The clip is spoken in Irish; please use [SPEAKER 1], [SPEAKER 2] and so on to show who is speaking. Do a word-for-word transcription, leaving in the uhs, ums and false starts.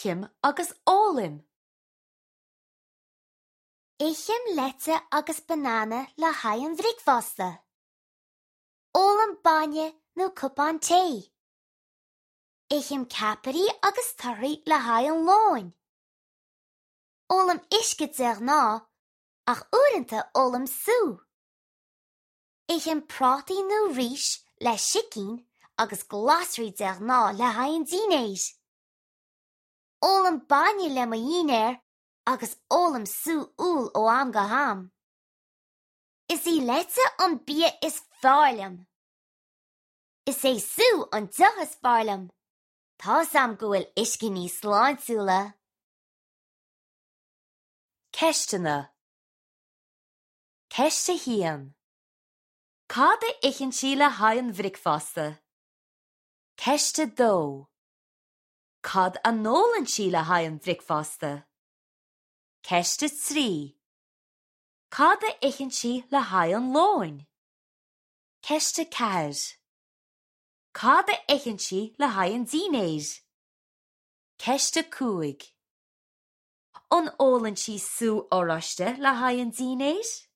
[SPEAKER 1] Ithim agus ólaim.
[SPEAKER 2] Ithim leite agus banana le haghaidh an bhricfeasta. Ólaim bainne nó cupán tae. Ithim ceapairí agus torthaí le haghaidh an lóin. Ólaim uisce de ghnáth ach uaireanta ólaim sú. Ithim prátaí nó rís le sicín agus glasraí de ghnáth le haghaidh an dinnéir. Ólaim bainne le mo dhinnéar agus ólaim sú úll ó am go ham. Is í leite an bia is fearr liom. Is é sú an deoch is fearr liom. Tá a fhios agam go bhfuil uisce níos sláintiúla.
[SPEAKER 1] Ceisteanna Ceist a haon. Cad a itheann sí le haghaidh an bhricfeasta? Ceist a dó. Cad a n-ólann sí le haghaidh an bhricfeasta? Ceist a trí. Cad a itheann sí le haghaidh an lóin? Ceist a ceathair. Cad a itheann sí le haghaidh an dinnéir? Ceist a cúig. An ólann sí sú oráiste le haghaidh an dinnéir?